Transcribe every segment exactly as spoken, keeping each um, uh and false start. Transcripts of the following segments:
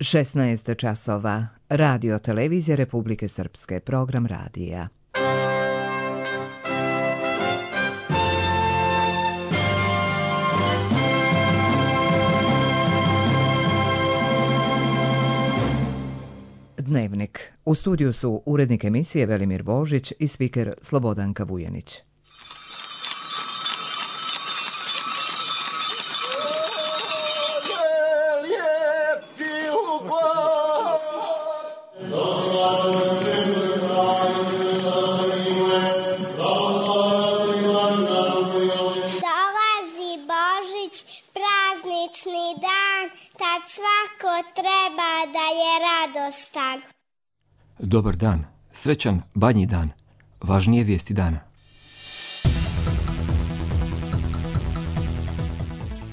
šesnaest časova. Radio televizija Republike Srpske. Program radija. Dnevnik. U studiju su urednik emisije Velimir Božić i spiker Slobodanka Vujanić. Dolazi Božić, praznični dan, tad svako treba da je radostan. Dobar dan, srećan Badnji dan, važnije vijesti dana.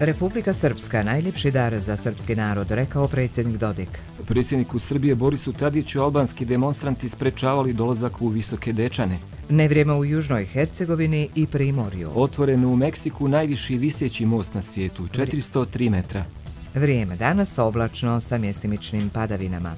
Republika Srpska, najljepši dar za srpski narod, rekao predsjednik Dodik. Predsjedniku Srbije Borisu Tadiću albanski demonstranti sprečavali dolazak u Visoke Dečane. Nevrijeme u Južnoj Hercegovini i Primorju. Otvoren u Meksiku najviši viseći most na svijetu, četiristo tri metra. Vrijeme danas oblačno sa mjestimičnim padavinama.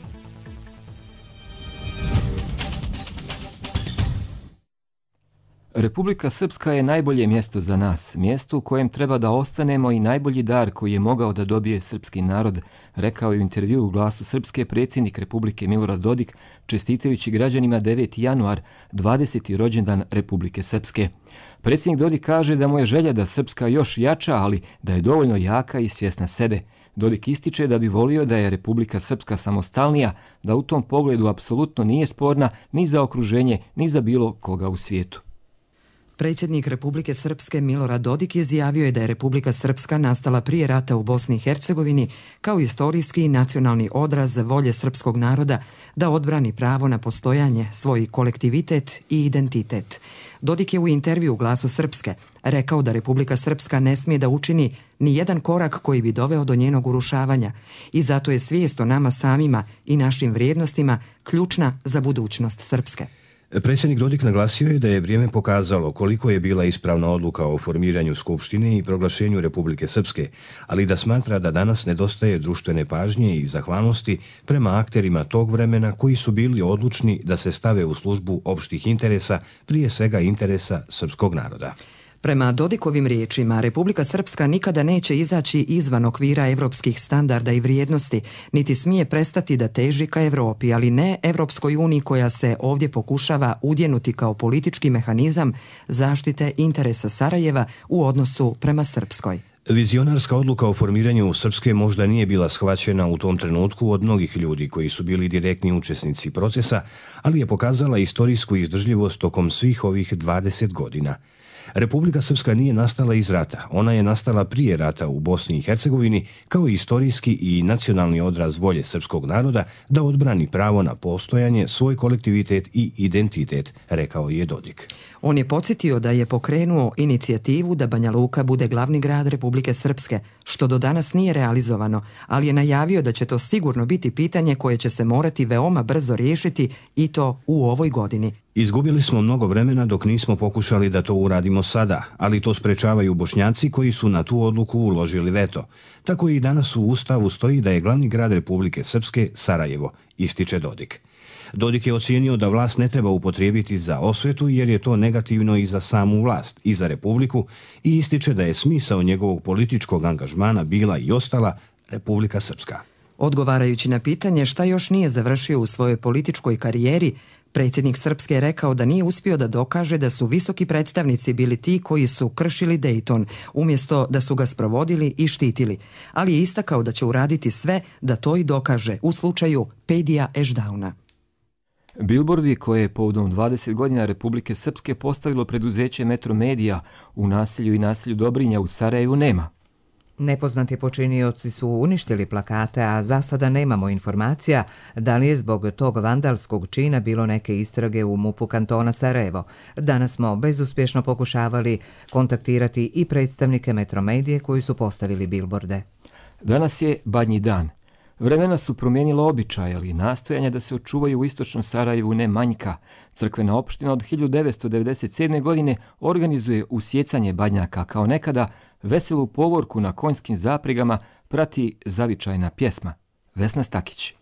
Republika Srpska je najbolje mjesto za nas, mjesto u kojem treba da ostanemo i najbolji dar koji je mogao da dobije srpski narod, rekao je u intervjuu u Glasu Srpske predsjednik Republike Milorad Dodik, čestitajući građanima deveti januar, dvadeseti rođendan Republike Srpske. Predsjednik Dodik kaže da mu je želja da Srpska još jača, ali da je dovoljno jaka i svjesna sebe. Dodik ističe da bi volio da je Republika Srpska samostalnija, da u tom pogledu apsolutno nije sporna ni za okruženje, ni za bilo koga u svijetu. Predsjednik Republike Srpske Milorad Dodik izjavio je da je Republika Srpska nastala prije rata u Bosni i Hercegovini kao istorijski i nacionalni odraz volje srpskog naroda da odbrani pravo na postojanje, svoj kolektivitet i identitet. Dodik je u intervju u Glasu Srpske rekao da Republika Srpska ne smije da učini ni jedan korak koji bi doveo do njenog urušavanja i zato je svijest o nama samima i našim vrijednostima ključna za budućnost Srpske. Predsjednik Dodik naglasio je da je vrijeme pokazalo koliko je bila ispravna odluka o formiranju Skupštine i proglašenju Republike Srpske, ali da smatra da danas nedostaje društvene pažnje i zahvalnosti prema akterima tog vremena koji su bili odlučni da se stave u službu opštih interesa, prije svega interesa srpskog naroda. Prema Dodikovim riječima, Republika Srpska nikada neće izaći izvan okvira evropskih standarda i vrijednosti, niti smije prestati da teži ka Evropi, ali ne Evropskoj uniji koja se ovdje pokušava udjenuti kao politički mehanizam zaštite interesa Sarajeva u odnosu prema Srpskoj. Vizionarska odluka o formiranju Srpske možda nije bila shvaćena u tom trenutku od mnogih ljudi koji su bili direktni učesnici procesa, ali je pokazala istorijsku izdržljivost tokom svih ovih dvadeset godina. Republika Srpska nije nastala iz rata, ona je nastala prije rata u Bosni i Hercegovini kao istorijski i nacionalni odraz volje srpskog naroda da odbrani pravo na postojanje, svoj kolektivitet i identitet, rekao je Dodik. On je podsjetio da je pokrenuo inicijativu da Banja Luka bude glavni grad Republike Srpske, što do danas nije realizovano, ali je najavio da će to sigurno biti pitanje koje će se morati veoma brzo riješiti i to u ovoj godini. Izgubili smo mnogo vremena dok nismo pokušali da to uradimo sada, ali to sprečavaju Bošnjaci koji su na tu odluku uložili veto. Tako i danas u Ustavu stoji da je glavni grad Republike Srpske Sarajevo, ističe Dodik. Dodik je ocijenio da vlast ne treba upotrijebiti za osvetu jer je to negativno i za samu vlast i za Republiku i ističe da je smisao njegovog političkog angažmana bila i ostala Republika Srpska. Odgovarajući na pitanje šta još nije završio u svojoj političkoj karijeri, predsjednik Srpske je rekao da nije uspio da dokaže da su visoki predstavnici bili ti koji su kršili Dejton, umjesto da su ga sprovodili i štitili, ali je istakao da će uraditi sve da to i dokaže u slučaju Pedija Ešdauna. Bilbordi koje je povodom dvadeset godina Republike Srpske postavilo preduzeće Metromedia u naselju i naselju Dobrinja u Sarajevu nema. Nepoznati počinioci su uništili plakate, a za sada nemamo informacija da li je zbog tog vandalskog čina bilo neke istrage u MUP-u kantona Sarajevo. Danas smo bezuspješno pokušavali kontaktirati i predstavnike Metromedije koji su postavili bilborde. Danas je Badnji dan. Vremena su promijenila običaj, ali nastojanja da se očuvaju u istočnom Sarajevu ne manjka. Crkvena opština od hiljadu devetsto devedeset sedme. godine organizuje usjecanje badnjaka kao nekada, veselu povorku na konjskim zapregama prati zavičajna pjesma. Vesna Stakić.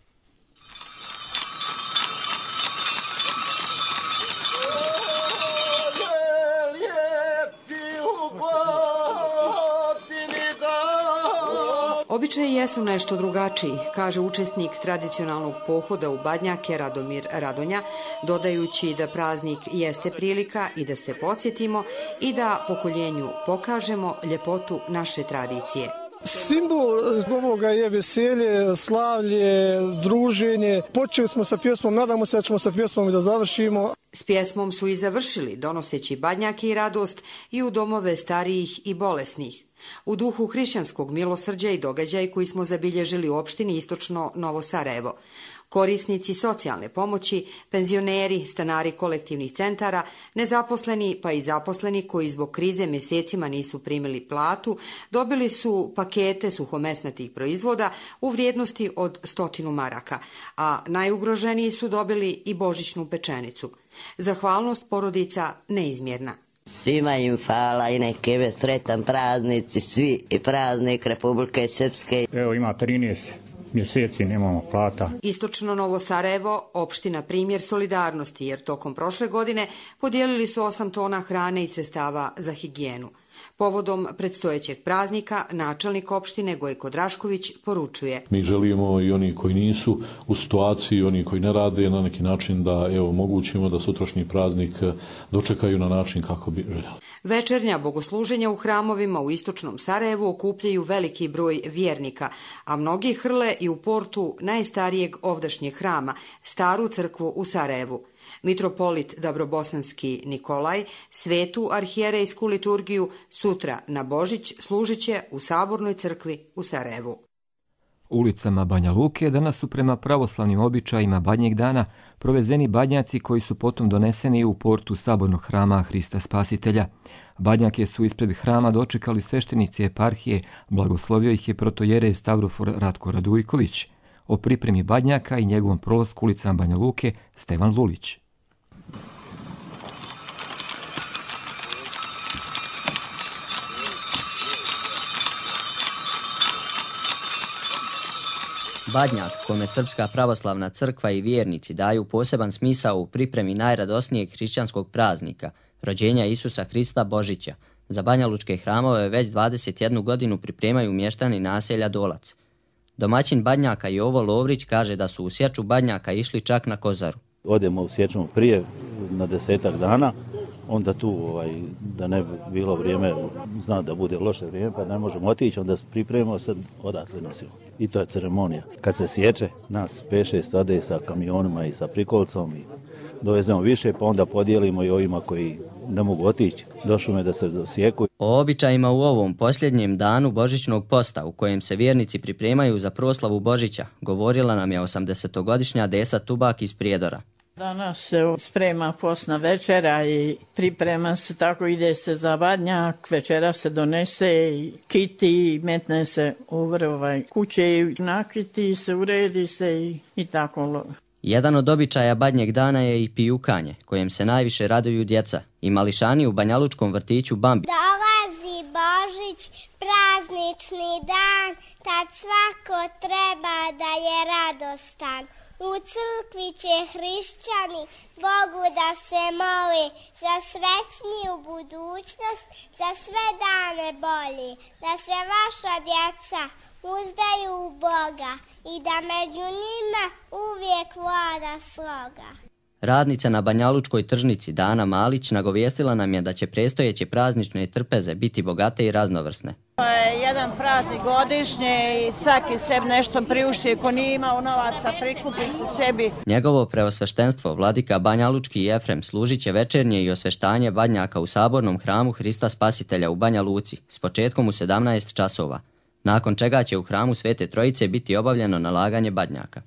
Običaji jesu nešto drugačiji, kaže učesnik tradicionalnog pohoda u Badnjake Radomir Radonja, dodajući da praznik jeste prilika i da se podsjetimo i da pokoljenju pokažemo ljepotu naše tradicije. Simbol ovoga je veselje, slavlje, druženje. Počeli smo sa pjesmom, nadamo se da ćemo sa pjesmom i da završimo. S pjesmom su i završili, donoseći badnjake i radost i u domove starijih i bolesnih. U duhu hrišćanskog milosrđa i događaj koji smo zabilježili u opštini Istočno Novo Sarajevo. Korisnici socijalne pomoći, penzioneri, stanari kolektivnih centara, nezaposleni pa i zaposleni koji zbog krize mjesecima nisu primili platu, dobili su pakete suhomesnatih proizvoda u vrijednosti od stotinu maraka, a najugroženiji su dobili i božićnu pečenicu. Zahvalnost porodica neizmjerna. Svima im hvala i neke sretan praznici, svi i praznik Republike Srpske. Evo ima trinaest mjeseci, nemamo plata. Istočno Novo Sarajevo, opština primjer solidarnosti, jer tokom prošle godine podijelili su osam tona hrane i sredstava za higijenu. Povodom predstojećeg praznika, načelnik opštine Gojko Drašković poručuje. Mi želimo i oni koji nisu u situaciji, oni koji ne rade, na neki način da evo omogućimo da sutrašnji praznik dočekaju na način kako bi željeli. Večernja bogosluženja u hramovima u Istočnom Sarajevu okupljaju veliki broj vjernika, a mnogi hrle i u portu najstarijeg ovdašnjeg hrama, staru crkvu u Sarajevu. Mitropolit Dabrobosanski Nikolaj svetu arhijerejsku liturgiju sutra na Božić služit će u Sabornoj crkvi u Sarajevu. Ulicama Banja Luke danas su prema pravoslavnim običajima Badnjeg dana provezeni badnjaci koji su potom doneseni u portu Sabornog hrama Hrista Spasitelja. Badnjake su ispred hrama dočekali sveštenici eparhije, blagoslovio ih je protojerej Stavrofor Ratko Radujković. O pripremi badnjaka i njegovom prolasku ulicama Banja Luke Stevan Lulić. Badnjak, kome Srpska pravoslavna crkva i vjernici daju poseban smisao u pripremi najradosnijeg hrišćanskog praznika, rođenja Isusa Hrista Božića, za banjalučke hramove već dvadeset jednu godinu pripremaju mještani naselja Dolac. Domaćin Badnjaka Jovo Lovrić kaže da su u sječu badnjaka išli čak na Kozaru. Odemo u sječu prije na desetak dana, onda tu ovaj, da ne bi bilo vrijeme, zna da bude loše vrijeme pa ne možemo otići, onda pripremimo se odatle nosimo. I to je ceremonija. Kad se sječe, nas pet šest ode sa kamionima i sa prikolcom i dovezemo više, pa onda podijelimo i ovima koji ne mogu otići do šume da se zasjeku. O običajima u ovom posljednjem danu Božićnog posta, u kojem se vjernici pripremaju za proslavu Božića, govorila nam je osamdesetogodišnja Desa Tubak iz Prijedora. Danas se sprema postna večera i priprema se, tako ide se za badnjak, večera se donese i kiti i metne se u vrh kuće i nakiti se, uredi se i, i tako. Jedan od običaja Badnjeg dana je i pijukanje, kojem se najviše raduju djeca i mališani u banjalučkom vrtiću Bambi. Dolazi Božić, praznični dan, tad svako treba da je radostan. U crkvi će hrišćani Bogu da se moli za srećniju budućnost, za sve dane bolji, da se vaša djeca uzdaju u Boga i da među njima uvijek vlada sloga. Radnica na banjalučkoj tržnici Dana Malić nagovijestila nam je da će predstojeće praznične trpeze biti bogate i raznovrsne. To je jedan praznik godišnje i svaki sebi nešto priušti, ko nije imao novaca prikupi se sebi. Njegovo preosveštenstvo vladika banjalučki Jefrem služit će večernje i osveštanje badnjaka u Sabornom hramu Hrista Spasitelja u Banja Luci s početkom u sedamnaest časova, nakon čega će u hramu Svete Trojice biti obavljeno nalaganje badnjaka.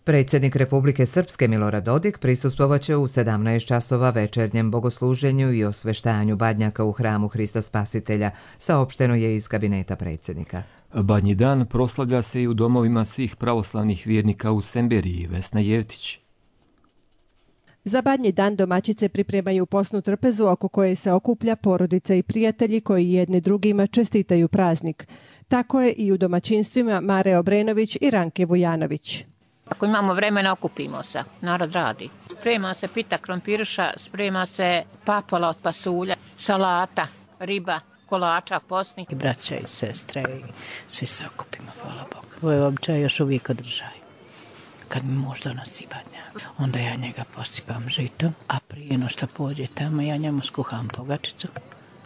Predsjednik Republike Srpske Milorad Dodik prisustvovaće u sedamnaest časova večernjem bogosluženju i osveštanju badnjaka u hramu Hrista Spasitelja, saopšteno je iz kabineta predsjednika. Badnji dan proslavlja se i u domovima svih pravoslavnih vjernika u Semberiji. Vesna Jevtić. Za Badnji dan domaćice pripremaju posnu trpezu oko koje se okuplja porodica i prijatelji koji jedni drugima čestitaju praznik. Tako je i u domaćinstvima Mare Obrenović i Ranke Vujanović. Ako imamo vremena, okupimo se. Narod radi. Sprema se pita krompirša, sprema se papola od pasulja, salata, riba, kolača, posni. I braća i sestre i svi se okupimo, hvala Bogu. Ovo je običaj još uvijek održaj. Kad mi muž donosi badnjak, onda ja njega posipam žitom, a prije no što pođe tamo, ja njemu skuham pogačicu.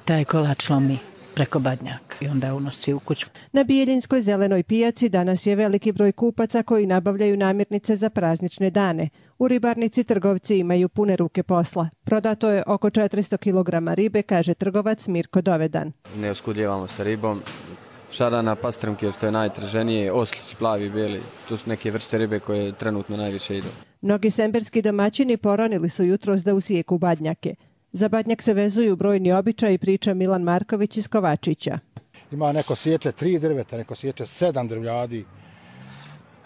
Taj kolač lomi preko badnjaka i onda unosi u kuću. Na Bijeljinskoj zelenoj pijaci danas je veliki broj kupaca koji nabavljaju namirnice za praznične dane. U ribarnici trgovci imaju pune ruke posla. Prodato je oko četiristo kilograma ribe, kaže trgovac Mirko Dovedan. Ne oskudljevamo sa ribom. Šarana, pastrmke, što je najtraženije, oslić, plavi, bijeli. Tu su neke vrste ribe koje trenutno najviše idu. Mnogi semberski domaćini poronili su jutros da usijeku badnjake. Za badnjak se vezuju brojni običaji, priča Milan Marković iz Kovačića. Ima neko sječe tri drveta, neko sječe sedam drvljadi.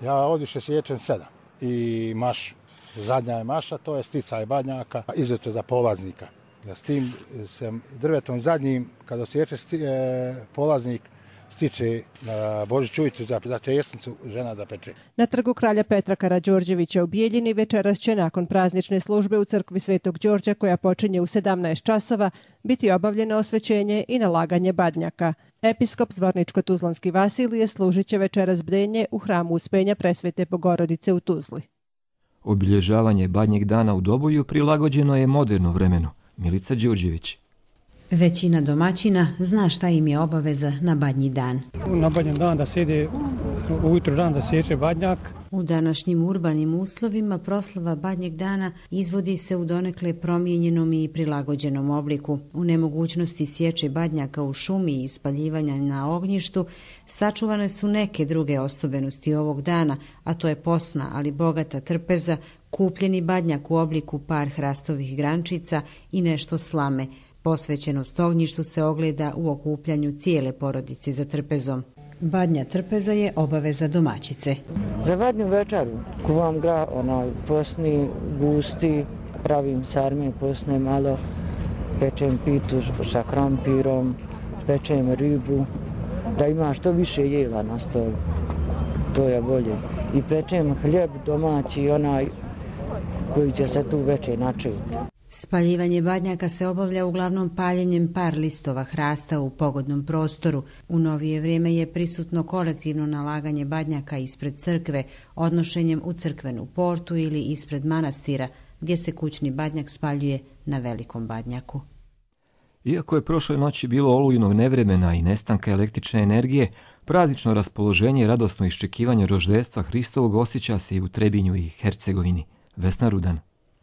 Ja odviše sječem sedam. I maš, zadnja je maša, to je sticaj badnjaka, izuzetno za polaznika. Ja s tim se drvetom zadnjim, kada sječe sti, e, polaznik, stiče na Božić ujutru za, za česnicu žena da peče. Na trgu kralja Petra Karađorđevića u Bijeljini večeras će nakon praznične službe u crkvi Svetog Đorđa koja počinje u sedamnaest časova biti obavljeno osvećenje i nalaganje badnjaka. Episkop Zvorničko-Tuzlanski Vasilije služit će večeras bdenje u hramu Uspenja Presvete Bogorodice u Tuzli. Obilježavanje Badnjeg dana u Doboju prilagođeno je moderno vremenu. Milica Đurđević. Većina domaćina zna šta im je obaveza na Badnji dan. Na Badnji dan da sjede, ujutro dan da sječe badnjak. U današnjim urbanim uslovima proslava Badnjeg dana izvodi se u donekle promijenjenom i prilagođenom obliku. U nemogućnosti sječe badnjaka u šumi i spaljivanja na ognjištu sačuvane su neke druge osobenosti ovog dana, a to je posna, ali bogata trpeza, kupljeni badnjak u obliku par hrastovih grančica i nešto slame. Posvećenost ognjištu se ogleda u okupljanju cijele porodice za trpezom. Badnja trpeza je obaveza domaćice. Za badnju večeru kuvam gra, onaj posni, gusti, pravim sarme posne malo, pečem pitu sa krampirom, pečem ribu, da ima što više jela na stolu, to je bolje. I pečem hljeb domaći, onaj koji će se tu večer načeti. Spaljivanje badnjaka se obavlja uglavnom paljenjem par listova hrasta u pogodnom prostoru. U novije vrijeme je prisutno kolektivno nalaganje badnjaka ispred crkve, odnošenjem u crkvenu portu ili ispred manastira, gdje se kućni badnjak spaljuje na velikom badnjaku. Iako je prošle noći bilo olujnog nevremena i nestanka električne energije, praznično raspoloženje i radosno iščekivanje roždestva Hristovog osjeća se i u Trebinju i Hercegovini. Vesna Rudan.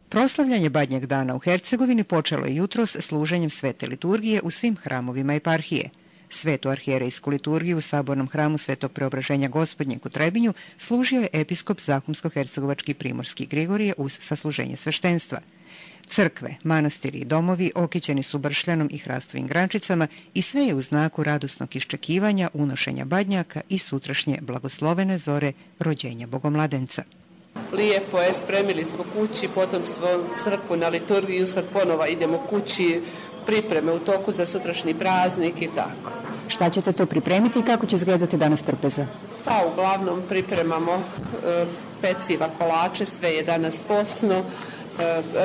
Proslavljanje Badnjeg dana u Hercegovini počelo je jutros služenjem svete liturgije u svim hramovima eparhije. Svetu arhijerejsku liturgiju u sabornom hramu Svetog Preobraženja Gospodnjeg u Trebinju služio je episkop Zahumsko-hercegovački Primorski Grigorije uz sasluženje sveštenstva. Crkve, manastiri i domovi okićeni su bršljanom i hrastovim grančicama i sve je u znaku radosnog iščekivanja, unošenja badnjaka i sutrašnje blagoslovene zore rođenja Bogomladenca. Lijepo je, spremili smo kući, potom smo crkvu na liturgiju, sad ponova idemo kući, pripreme u toku za sutrašnji praznik i tako. Šta ćete to pripremiti i kako će izgledati danas trpeza? Pa uglavnom pripremamo e, peciva, kolače, sve je danas posno, e,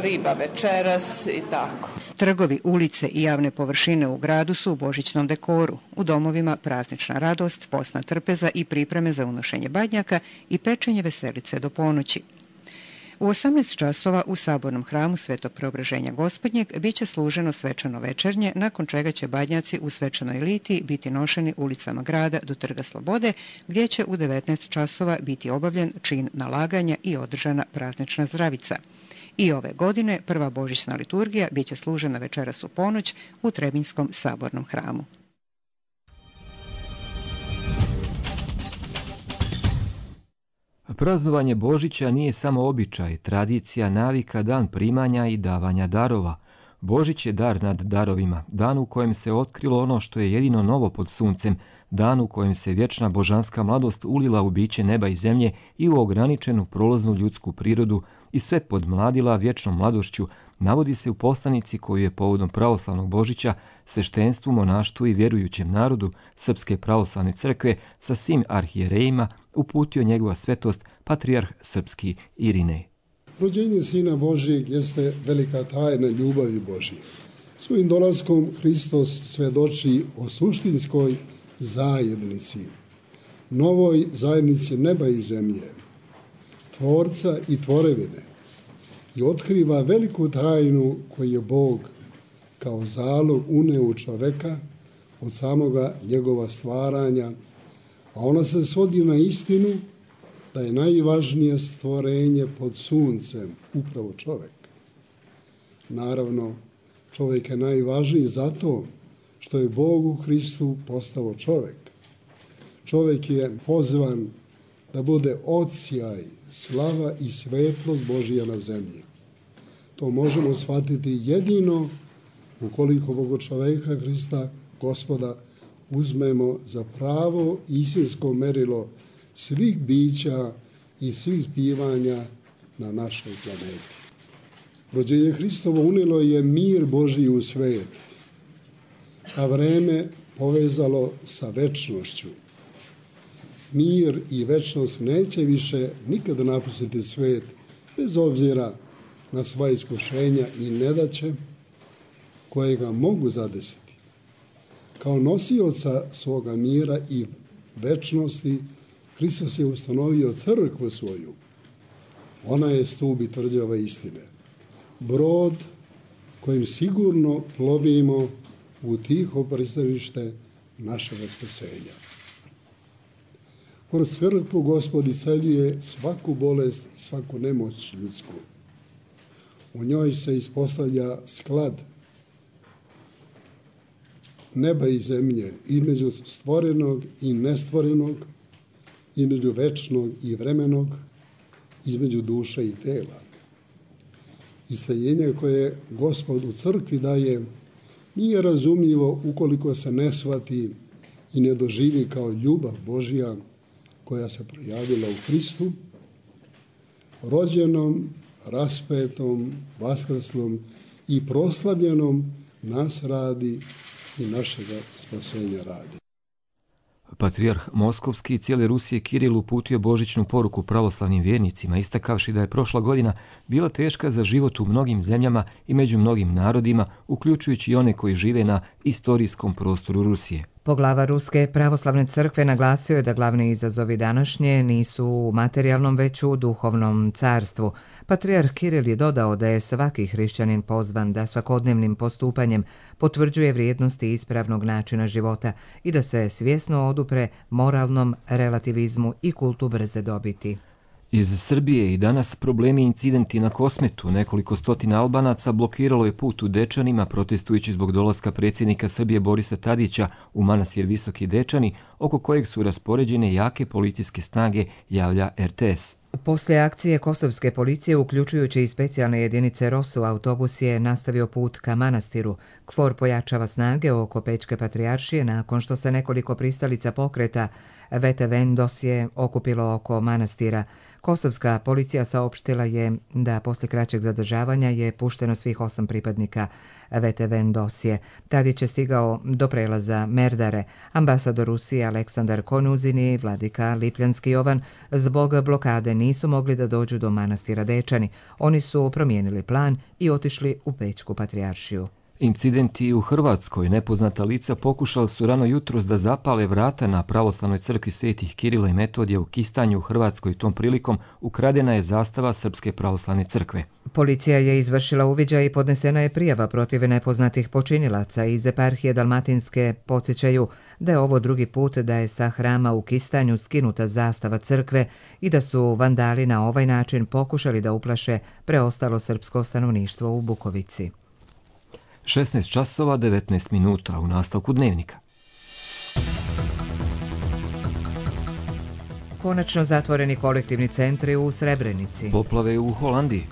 riba večeras i tako. Trgovi, ulice i javne površine u gradu su u božićnom dekoru. U domovima praznična radost, posna trpeza i pripreme za unošenje badnjaka i pečenje veselice do ponoći. U osamnaest časova u sabornom hramu Svetog Preobraženja Gospodnjeg biće služeno svečano večernje, nakon čega će badnjaci u svečanoj litiji biti nošeni ulicama grada do Trga Slobode, gdje će u devetnaest časova biti obavljen čin nalaganja i održana praznična zdravica. I ove godine prva božićna liturgija biće služena večeras u ponoć u Trebinjskom sabornom hramu. Praznovanje Božića nije samo običaj, tradicija, navika, dan primanja i davanja darova. Božić je dar nad darovima, dan u kojem se otkrilo ono što je jedino novo pod suncem, dan u kojem se vječna božanska mladost ulila u biće neba i zemlje i u ograničenu prolaznu ljudsku prirodu i sve podmladila vječnom mladošću, navodi se u poslanici koju je povodom pravoslavnog Božića sveštenstvu, monaštvu i vjerujućem narodu Srpske pravoslavne crkve sa svim arhijerejima uputio njegova svetost patrijarh srpski Irinej. Rođenje Sina Božijeg jeste velika tajna ljubavi Božije. Svojim dolaskom Hristos svedoči o suštinskoj zajednici, novoj zajednici neba i zemlje, tvorca i tvorevine, i otkriva veliku tajnu koju je Bog kao zalog uneo u čoveka od samoga njegova stvaranja, a ona se svodi na istinu da je najvažnije stvorenje pod suncem upravo čovek. Naravno, čovjek je najvažniji zato što je Bog u Hristu postao čovjek. Čovjek je pozvan da bude odsjaj, slava i svetlost Božija na zemlji. To možemo shvatiti jedino ukoliko Boga čovjeka Hrista, Gospoda, uzmemo za pravo istinsko merilo svih bića i svih zbivanja na našoj planeti. Rođenje Hristovo unijelo je mir Božji u svet, a vreme povezalo sa večnošću. Mir i večnost neće više nikada napustiti svet, bez obzira na sva iskušenja i nedaće koje ga mogu zadesiti. Kao nosioca svoga mira i večnosti, Hristos je ustanovio crkvu svoju. Ona je stup i tvrđava istine. Brod kojim sigurno plovimo u tiho pristanište našega spasenja. Kroz crkvu Gospod isceljuje svaku bolest i svaku nemoć ljudsku. U njoj se ispostavlja sklad neba i zemlje, između stvorenog i nestvorenog, između večnog i vremenog, između duše i tela. Isceljenje koje Gospod u crkvi daje nije razumljivo ukoliko se ne shvati i ne doživi kao ljubav Božja koja se projavila u Hristu, rođenom, raspetom, vaskrslom i proslavljenom nas radi i našega spasenja radi. Patrijarh Moskovski i cijele Rusije Kiril uputio božićnu poruku pravoslavnim vjernicima, istakavši da je prošla godina bila teška za život u mnogim zemljama i među mnogim narodima, uključujući i one koji žive na istorijskom prostoru Rusije. Poglava Ruske pravoslavne crkve naglasio je da glavni izazovi današnje nisu u materijalnom, već u duhovnom carstvu. Patrijarh Kiril je dodao da je svaki hrišćanin pozvan da svakodnevnim postupanjem potvrđuje vrijednosti ispravnog načina života i da se svjesno odupre moralnom relativizmu i kultu brze dobiti. Iz Srbije i danas problemi i incidenti na Kosmetu. Nekoliko stotina Albanaca blokiralo je put u Dečanima protestujući zbog dolaska predsjednika Srbije Borisa Tadića u manastir Visoki Dečani, oko kojeg su raspoređene jake policijske snage, javlja er te es. Poslije akcije kosovske policije, uključujući i specijalne jedinice ROSU, autobus je nastavio put ka manastiru. KFOR pojačava snage oko Pečke patrijaršije nakon što se nekoliko pristalica pokreta Vete Vendos je okupilo oko manastira. Kosovska policija saopštila je da posle kraćeg zadržavanja je pušteno svih osam pripadnika Vete Vendosije. Tadić je stigao do prelaza Merdare. Ambasador Rusije Aleksandar Konuzin i vladika Lipljanski Jovan zbog blokade nisu mogli da dođu do manastira Dečani. Oni su promijenili plan i otišli u Pečku patrijaršiju. Incidenti u Hrvatskoj. Nepoznata lica pokušali su rano jutros da zapale vrata na pravoslavnoj crkvi svetih Kirila i Metodija u Kistanju u Hrvatskoj. Tom prilikom ukradena je zastava Srpske pravoslavne crkve. Policija je izvršila uviđaj i podnesena je prijava protiv nepoznatih počinilaca. Iz eparhije Dalmatinske podsjećaju da je ovo drugi put da je sa hrama u Kistanju skinuta zastava crkve i da su vandali na ovaj način pokušali da uplaše preostalo srpsko stanovništvo u Bukovici. šesnaest časova devetnaest minuta u nastavku dnevnika. Konačno zatvoreni kolektivni centri u Srebrenici. Poplave u Holandiji.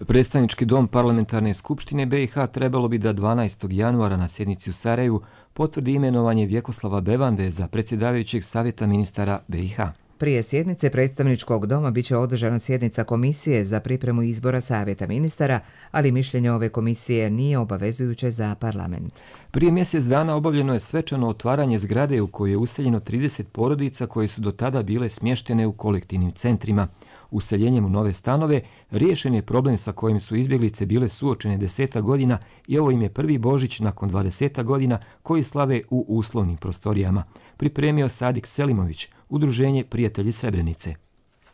Predstavnički dom Parlamentarne skupštine B i H trebalo bi da dvanaestog januara na sjednici u Sarajevu potvrdi imenovanje Vjekoslava Bevande za predsjedavajućeg savjeta ministara B i H. Prije sjednice predstavničkog doma biće održana sjednica komisije za pripremu izbora savjeta ministara, ali mišljenje ove komisije nije obavezujuće za parlament. Prije mjesec dana obavljeno je svečano otvaranje zgrade u kojoj je useljeno trideset porodica koje su do tada bile smještene u kolektivnim centrima. Useljenjem u nove stanove riješen je problem sa kojim su izbjeglice bile suočene deseta godina i ovo im je prvi Božić nakon dvadeseta godina koji slave u uslovnim prostorijama. Pripremio Sadik Selimović, Udruženje Prijatelji Srebrenice.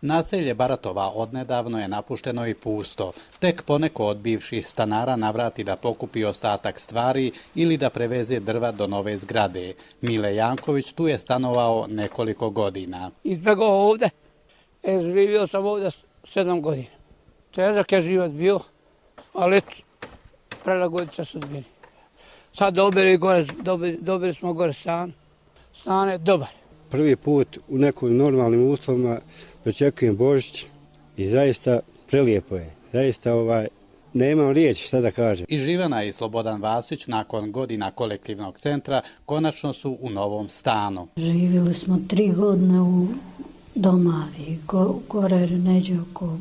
Naselje Baratova odnedavno je napušteno i pusto. Tek poneko od bivših stanara navrati da pokupi ostatak stvari ili da preveze drva do nove zgrade. Mile Janković tu je stanovao nekoliko godina. Izbjegao ovdje. E, živio sam ovdje sedam godina. Težak je život bio, ali prelagodit se sudbini. Sad dobili, gore, dobili, dobili smo gore stan. Stan je dobar. Prvi put u nekim normalnim uslovima dočekujem Božić i zaista prelijepo je. Zaista ovaj, nemam riječi šta da kažem. I Živana i Slobodan Vasić nakon godina kolektivnog centra konačno su u novom stanu. Živjeli smo tri godine u Domavi, go, gore neđe oko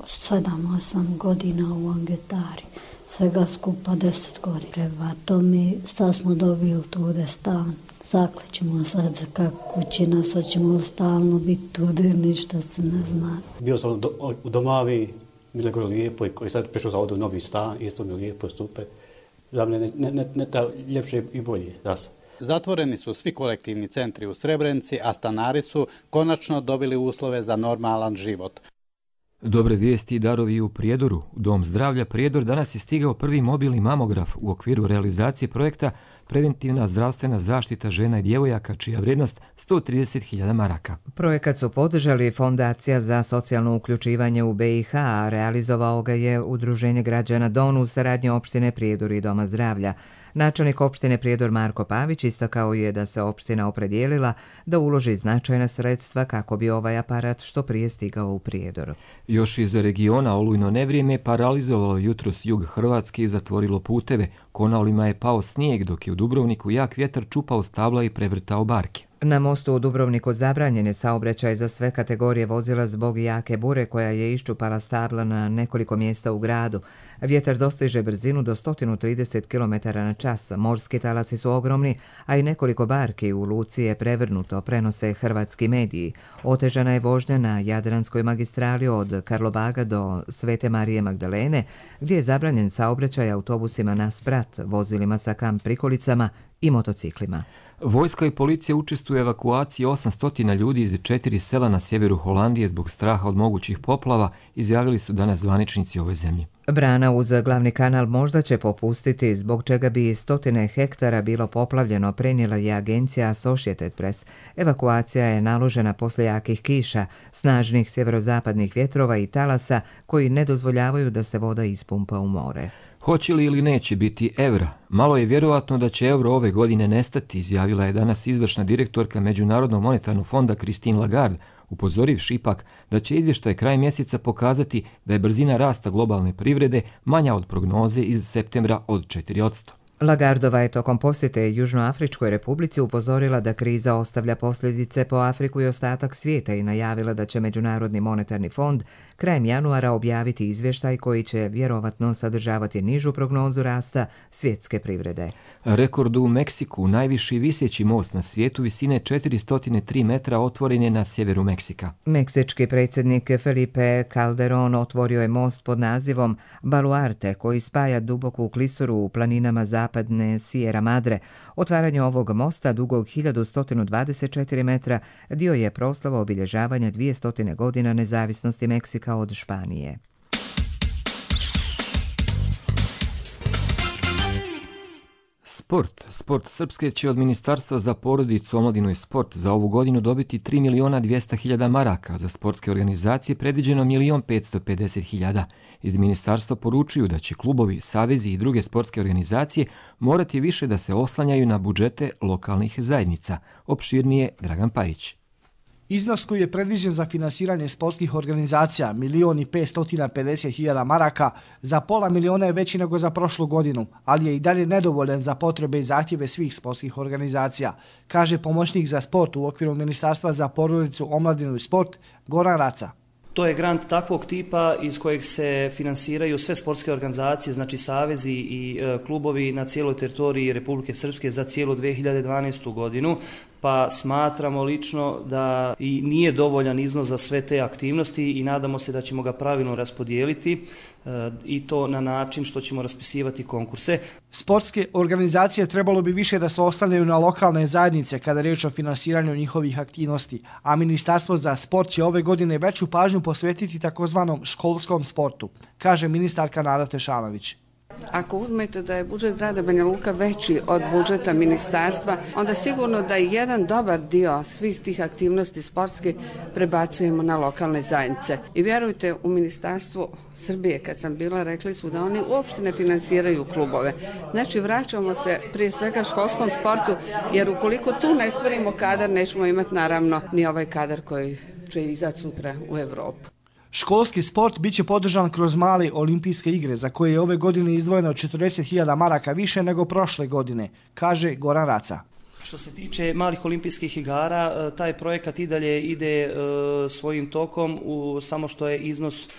sedam osam godina u Angetari, svega skupa deset godina. Prema tome sad smo dobili tude stan. Zaklećemo sad kako kući nas, hoćemo stalno biti tude, ništa se ne zna. Bio sam do, u Domavi, bilo je gore lijepo i koji sad prešao za ovdje novi stan, isto mi je lijepo stupe. Za mene ne, ne, ne ta ljepše i bolje. Das. Zatvoreni su svi kolektivni centri u Srebrenici, a stanari su konačno dobili uslove za normalan život. Dobre vijesti i darovi u Prijedoru. U Dom zdravlja Prijedor danas je stigao prvi mobilni mamograf u okviru realizacije projekta Preventivna zdravstvena zaštita žena i djevojaka, čija vrijednost sto trideset hiljada maraka. Projekat su podržali Fondacija za socijalno uključivanje u B i H, a realizovao ga je Udruženje građana Don u saradnji opštine Prijedor i Doma zdravlja. Načelnik opštine Prijedor Marko Pavić istakao je da se opština opredijelila da uloži značajna sredstva kako bi ovaj aparat što prije stigao u Prijedor. Još iz regiona olujno nevrijeme paralizovalo jutros jug Hrvatske i zatvorilo puteve. Konavlima je pao snijeg, dok je u Dubrovniku jak vjetar čupao stabla i prevrtao barke. Na mostu u Dubrovniku zabranjen je saobraćaj za sve kategorije vozila zbog jake bure koja je iščupala stabla na nekoliko mjesta u gradu. Vjetar dostiže brzinu do sto trideset kilometara na čas. Morski talasi su ogromni, a i nekoliko barki u luci je prevrnuto, prenose hrvatski mediji. Otežana je vožnja na Jadranskoj magistrali od Karlobaga do Svete Marije Magdalene, gdje je zabranjen saobraćaj autobusima na sprat, vozilima sa kamp prikolicama i motociklima. Vojska i policija učestvuju u evakuaciji osamsto ljudi iz četiri sela na sjeveru Holandije zbog straha od mogućih poplava, izjavili su danas zvaničnici ove zemlje. Brana uz glavni kanal možda će popustiti, zbog čega bi stotine hektara bilo poplavljeno, prenijela je agencija Associated Press. Evakuacija je naložena posle jakih kiša, snažnih sjeverozapadnih vjetrova i talasa koji ne dozvoljavaju da se voda ispumpa u more. Hoće li ili neće biti evra? Malo je vjerovatno da će euro ove godine nestati, izjavila je danas izvršna direktorka Međunarodnog monetarnog fonda Christine Lagarde, upozorivši ipak da će izvještaj kraj mjeseca pokazati da je brzina rasta globalne privrede manja od prognoze iz septembra od četiri posto. Lagardova je tokom posjete Južnoafričkoj republici upozorila da kriza ostavlja posljedice po Afriku i ostatak svijeta i najavila da će Međunarodni monetarni fond krajem januara objaviti izvještaj koji će vjerovatno sadržavati nižu prognozu rasta svjetske privrede. Rekord u Meksiku, najviši visjeći most na svijetu visine četiristo tri metra, otvoren je na sjeveru Meksika. Meksički predsjednik Felipe Calderón otvorio je most pod nazivom Baluarte koji spaja duboku klisuru u planinama zapadne Sierra Madre. Otvaranje ovog mosta dugog hiljadu sto dvadeset četiri metra dio je proslava obilježavanja dvjesto godina nezavisnosti Meksika od Španije. Sport. Sport Srpske će od Ministarstva za porodicu, omladinu i sport za ovu godinu dobiti tri miliona dvjesto hiljada maraka. Za sportske organizacije predviđeno milion petsto pedeset hiljada. Iz ministarstva poručuju da će klubovi, savezi i druge sportske organizacije morati više da se oslanjaju na budžete lokalnih zajednica. Opširnije Dragan Pajić. Iznos koji je predviđen za finansiranje sportskih organizacija, milion i petsto pedeset hiljada maraka, za pola miliona je veći nego za prošlu godinu, ali je i dalje nedovoljan za potrebe i zahtjeve svih sportskih organizacija, kaže pomoćnik za sport u okviru Ministarstva za porodicu, omladinu i sport, Goran Raca. To je grant takvog tipa iz kojeg se finansiraju sve sportske organizacije, znači savezi i e, klubovi na cijeloj teritoriji Republike Srpske za cijelu dve hiljade dvanaestu godinu, pa smatramo lično da i nije dovoljan iznos za sve te aktivnosti i nadamo se da ćemo ga pravilno raspodijeliti e, i to na način što ćemo raspisivati konkurse. Sportske organizacije trebalo bi više da se oslanjaju na lokalne zajednice kada je riječ o finansiranju njihovih aktivnosti, a Ministarstvo za sport će ove godine veću pažnju posvetiti takozvanom školskom sportu, kaže ministarka Nada Tešanović. Ako uzmete da je budžet grada Banja Luka veći od budžeta ministarstva, onda sigurno da i jedan dobar dio svih tih aktivnosti sportske prebacujemo na lokalne zajednice. I vjerujte, u Ministarstvu Srbije, kad sam bila, rekli su da oni uopšte ne finansiraju klubove. Znači, vraćamo se prije svega školskom sportu, jer ukoliko tu ne stvorimo kadar, nećemo imati naravno ni ovaj kadar koji će izaći sutra u Evropu. Školski sport bit će podržan kroz male olimpijske igre, za koje je ove godine izdvojeno četrdeset hiljada maraka više nego prošle godine, kaže Goran Raca. Što se tiče malih olimpijskih igara, taj projekat i dalje ide svojim tokom, u, samo što je iznos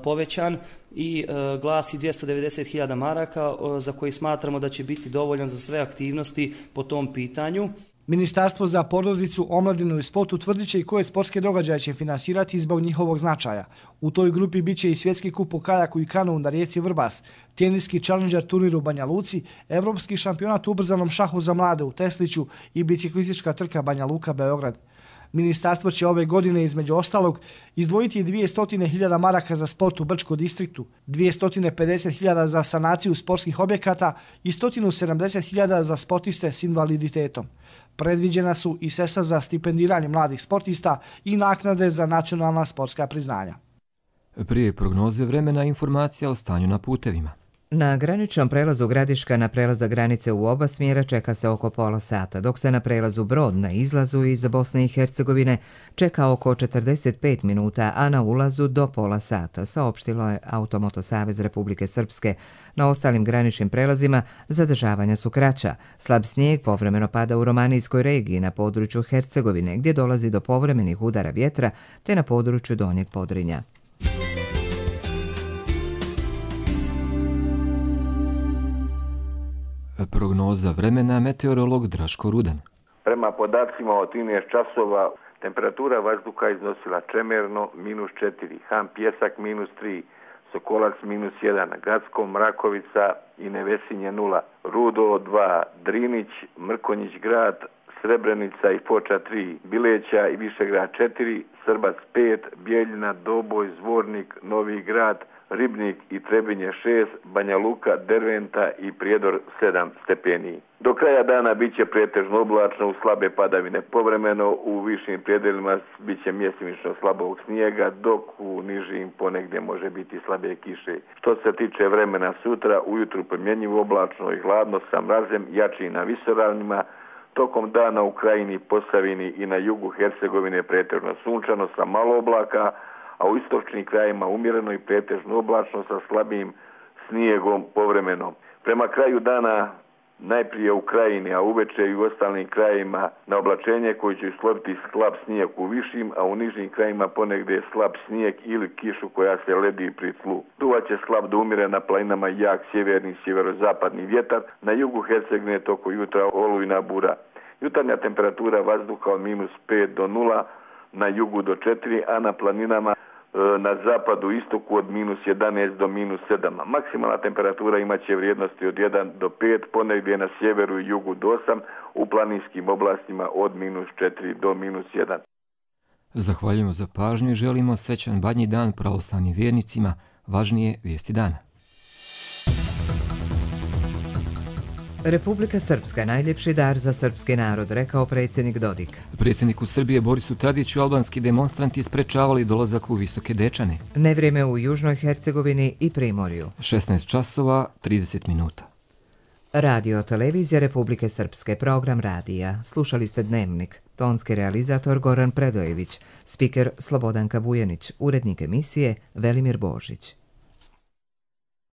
povećan i glasi dvjesto devedeset hiljada maraka, za koji smatramo da će biti dovoljan za sve aktivnosti po tom pitanju. Ministarstvo za porodicu, omladinu i sport utvrdit će i koje sportske događaje će finansirati zbog njihovog značaja. U toj grupi bit će i svjetski kup u kajaku i kanu na rijeci Vrbas, teniski Challenger turnir u Banja Luci, evropski šampionat u ubrzanom šahu za mlade u Tesliću i biciklistička trka Banja Luka-Beograd. Ministarstvo će ove godine između ostalog izdvojiti dvjesto hiljada maraka za sport u Brčko distriktu, dvjesto pedeset hiljada za sanaciju sportskih objekata i sto sedamdeset hiljada za sportiste s invaliditetom. Predviđena su i sredstva za stipendiranje mladih sportista i naknade za nacionalna sportska priznanja. Prije prognoze vremena informacija o stanju na putevima. Na graničnom prelazu Gradiška na prelaza granice u oba smjera čeka se oko pola sata, dok se na prelazu Brod na izlazu iz Bosne i Hercegovine čeka oko četrdeset pet minuta, a na ulazu do pola sata, saopštilo je Automoto Savez Republike Srpske. Na ostalim graničnim prelazima zadržavanja su kraća. Slab snijeg povremeno pada u Romanijskoj regiji na području Hercegovine, gdje dolazi do povremenih udara vjetra, te na području Donjeg Podrinja. Prognoza vremena, meteorolog Draško Rudan. Prema podacima od trinaest časova, temperatura vazduha iznosila Čemerno minus četiri, Han Pjesak minus tri, Sokolac minus jedan, Gacko, Mrakovica i Nevesinje nula, Rudo dva, Drinić, Mrkonjić grad, Srebrenica i Foča tri, Bileća i Višegrad četiri, Srbac pet, Bijeljina, Doboj, Zvornik, Novi grad, Ribnik i Trebinje šest, Banja Luka, Derventa i Prijedor sedam stepeni. Do kraja dana bit će pretežno oblačno u slabe padavine. Povremeno u višim predelima bit će mjestimično slabog snijega, dok u nižim ponegdje može biti slabe kiše. Što se tiče vremena sutra, ujutru promjenjivo oblačno i hladno sa mrazem, jači na visoravnima. Tokom dana u krajini, Posavini i na jugu Hercegovine pretežno sunčano sa malo oblaka, a u istočnim krajima umjereno i pretežno oblačno sa slabim snijegom povremeno. Prema kraju dana najprije u krajini, a uveče i u ostalim krajima na oblačenje koji će slobiti slab snijeg u višim, a u nižim krajima ponegdje slab snijeg ili kišu koja se ledi pri tlu. Duvaće slab do umjeren na planinama jak sjeverni i sjeverozapadni vjetar, na jugu Hercegovine toko jutra olujna bura. Jutarnja temperatura vazduha od minus pet do nula, na jugu do četiri, a na planinama na zapadu istoku od minus jedanaest do minus sedam. Maksimalna temperatura imaće vrijednosti od jedan do pet, ponegdje na sjeveru i jugu do osam, u planinskim oblastima od minus četiri do minus jedan. Zahvaljujemo za pažnju i želimo srećan badnji dan pravoslavnim vjernicima. Važnije vijesti dana. Republika Srpska najljepši dar za srpski narod, rekao predsjednik Dodik. Predsjedniku Srbije Borisu Tadiću albanski demonstranti sprečavali dolazak u Visoke Dečane. Nevrijeme u Južnoj Hercegovini i Primorju. šesnaest časova trideset minuta. Radio Televizija Republike Srpske, program radija. Slušali ste Dnevnik. Tonski realizator Goran Predojević, spiker Slobodanka Vujanić, urednik emisije Velimir Božić.